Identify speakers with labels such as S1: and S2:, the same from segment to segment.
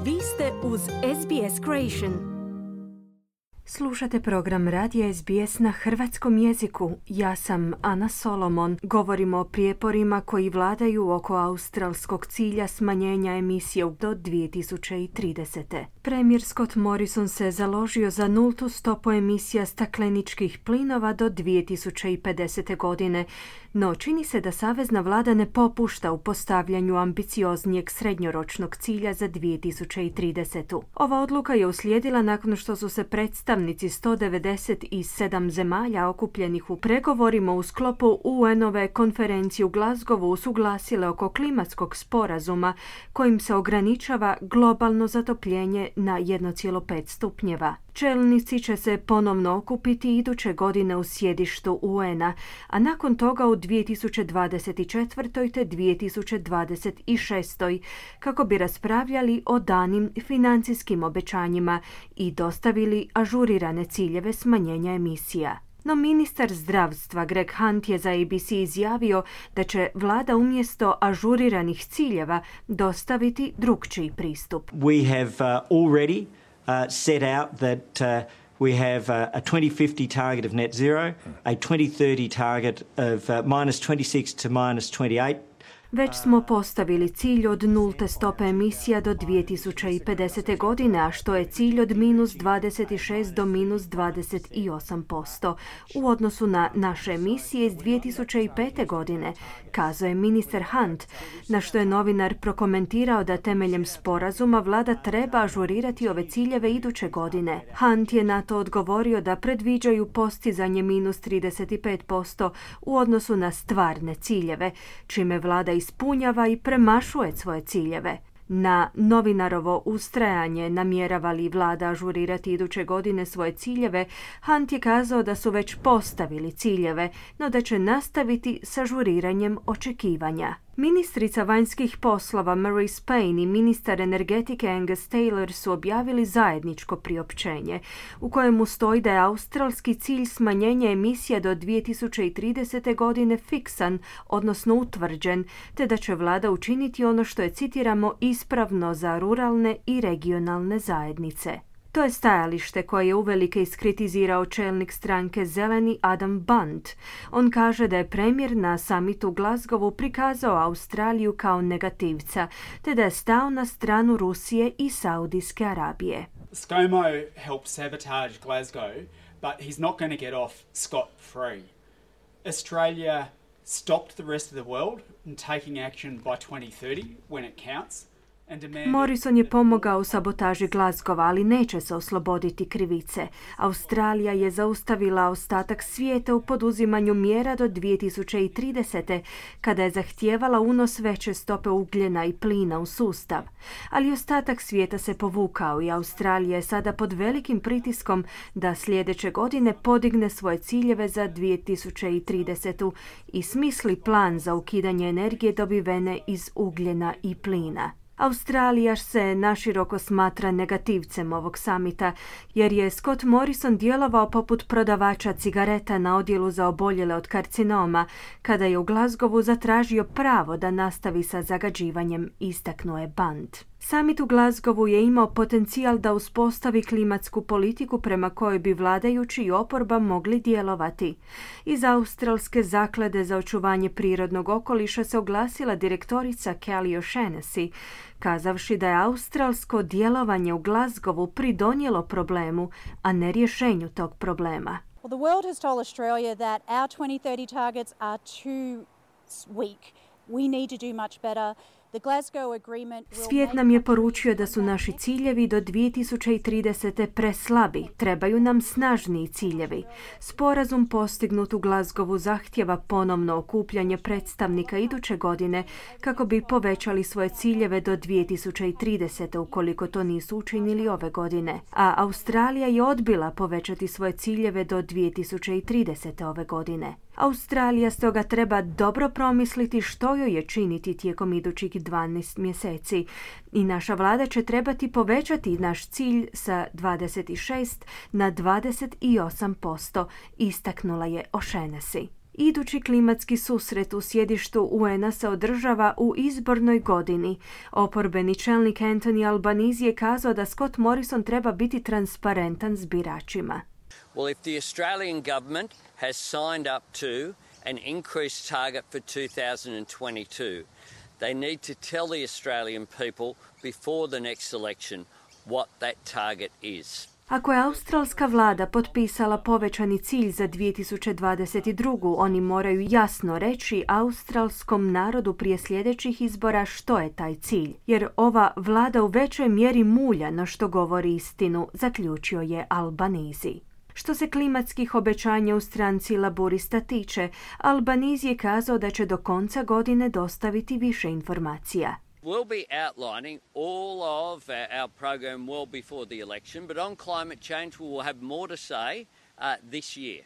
S1: Vi ste uz SBS Creation. Slušate program Radija SBS na hrvatskom jeziku. Ja sam Ana Solomon. Govorimo o prijeporima koji vladaju oko australskog cilja smanjenja emisije do 2030. Premijer Scott Morrison se založio za nultu stopu emisija stakleničkih plinova do 2050. godine, no čini se da savezna vlada ne popušta u postavljanju ambicioznijeg srednjoročnog cilja za 2030. Ova odluka je uslijedila nakon što su se predstavnici 197 zemalja okupljenih u pregovorima u sklopu UN-ove konferencije u Glasgowu usuglasile oko klimatskog sporazuma kojim se ograničava globalno zatopljenje na 1,5 stupnjeva. Čelnici će se ponovno okupiti iduće godine u sjedištu UN-a, a nakon toga u 2024. te 2026. kako bi raspravljali o danim financijskim obećanjima i dostavili ažurirane ciljeve smanjenja emisija. No ministar zdravstva Greg Hunt je za ABC izjavio da će vlada umjesto ažuriranih ciljeva dostaviti drukčiji pristup.
S2: We have already set out that we have a 2050 target of net zero, a 2030 target of minus 26 to minus 28.
S1: Već smo postavili cilj od nulte stope emisija do 2050. godine, a što je cilj od minus 26 do minus 28% u odnosu na naše emisije iz 2005. godine, kazao je ministar Hunt, na što je novinar prokomentirao da temeljem sporazuma vlada treba ažurirati ove ciljeve iduće godine. Hunt je na to odgovorio da predviđaju postizanje minus 35% u odnosu na stvarne ciljeve, čime vlada ispunjava i premašuje svoje ciljeve. Na novinarovo ustrajanje namjerava li vlada ažurirati iduće godine svoje ciljeve, Hunt je kazao da su već postavili ciljeve, no da će nastaviti s ažuriranjem očekivanja. Ministrica vanjskih poslova Marise Payne i ministar energetike Angus Taylor su objavili zajedničko priopćenje u kojemu stoji da je australski cilj smanjenja emisija do 2030. godine fiksan, odnosno utvrđen, te da će vlada učiniti ono što je, citiramo, ispravno za ruralne i regionalne zajednice. To je stajalište koje je uvelike iskritizirao čelnik stranke Zeleni Adam Band. On kaže da je premijer na samitu u Glasgowu prikazao Australiju kao negativca, te da je stao na stranu Rusije i Saudijske Arabije.
S3: ScoMo helped sabotage Glasgow, but he's not going to get off scot-free. Australia stopped the rest of the world in taking action by 2030 when it counts.
S1: Morrison je pomogao u sabotaži Glasgowa, ali neće se osloboditi krivice. Australija je zaustavila ostatak svijeta u poduzimanju mjera do 2030. kada je zahtijevala unos veće stope ugljena i plina u sustav. Ali ostatak svijeta se povukao i Australija je sada pod velikim pritiskom da sljedeće godine podigne svoje ciljeve za 2030. i smisli plan za ukidanje energije dobivene iz ugljena i plina. Australija se naširoko smatra negativcem ovog samita, jer je Scott Morrison djelovao poput prodavača cigareta na odjelu za oboljele od karcinoma, kada je u Glasgowu zatražio pravo da nastavi sa zagađivanjem, istaknuo je Band. Samit u Glasgowu je imao potencijal da uspostavi klimatsku politiku prema kojoj bi vladajući i oporba mogli djelovati. Iz Australske zaklade za očuvanje prirodnog okoliša se oglasila direktorica Kelly O'Shaughnessy, kazavši da je australsko djelovanje u Glasgowu pridonijelo problemu, a ne rješenju tog problema.
S4: Well, the world has told Australia that our 2030 targets are too weak. We need to do much better.
S1: Svijet nam je poručio da su naši ciljevi do 2030. preslabi, trebaju nam snažniji ciljevi. Sporazum postignut u Glasgowu zahtjeva ponovno okupljanje predstavnika iduće godine kako bi povećali svoje ciljeve do 2030. ukoliko to nisu učinili ove godine. A Australija je odbila povećati svoje ciljeve do 2030. ove godine. Australija stoga treba dobro promisliti što joj je činiti tijekom idućih 12 mjeseci i naša vlada će trebati povećati naš cilj sa 26 na 28%, istaknula je O'Shaughnessy. Idući klimatski susret u sjedištu UN-a se održava u izbornoj godini. Oporbeni čelnik Anthony Albanese je kazao da Scott Morrison treba biti transparentan s biračima.
S5: Well, if the Australian government has signed up to an increased target for 2022, they need to tell the Australian people before the next election what that target is.
S1: Ako je australska vlada potpisala povećani cilj za 2022. oni moraju jasno reći australskom narodu prije sljedećih izbora što je taj cilj. Jer ova vlada u većoj mjeri mulja no što govori istinu, zaključio je Albanese. Što se klimatskih obećanja u stranci Laburista tiče, Albanese je kazao da će do konca godine dostaviti više informacija.
S5: We'll be outlining all of our program well before the election, but on climate change we will have more to say this year.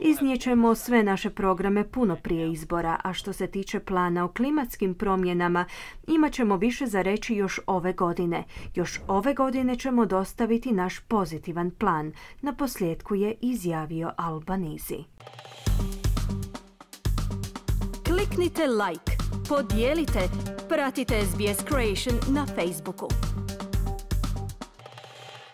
S1: Iznijećemo sve naše programe puno prije izbora, a što se tiče plana o klimatskim promjenama, imat ćemo više za reći još ove godine. Još ove godine ćemo dostaviti naš pozitivan plan, naposljetku je izjavio Albanese. Kliknite like, podijelite, pratite SBS Creation na Facebooku.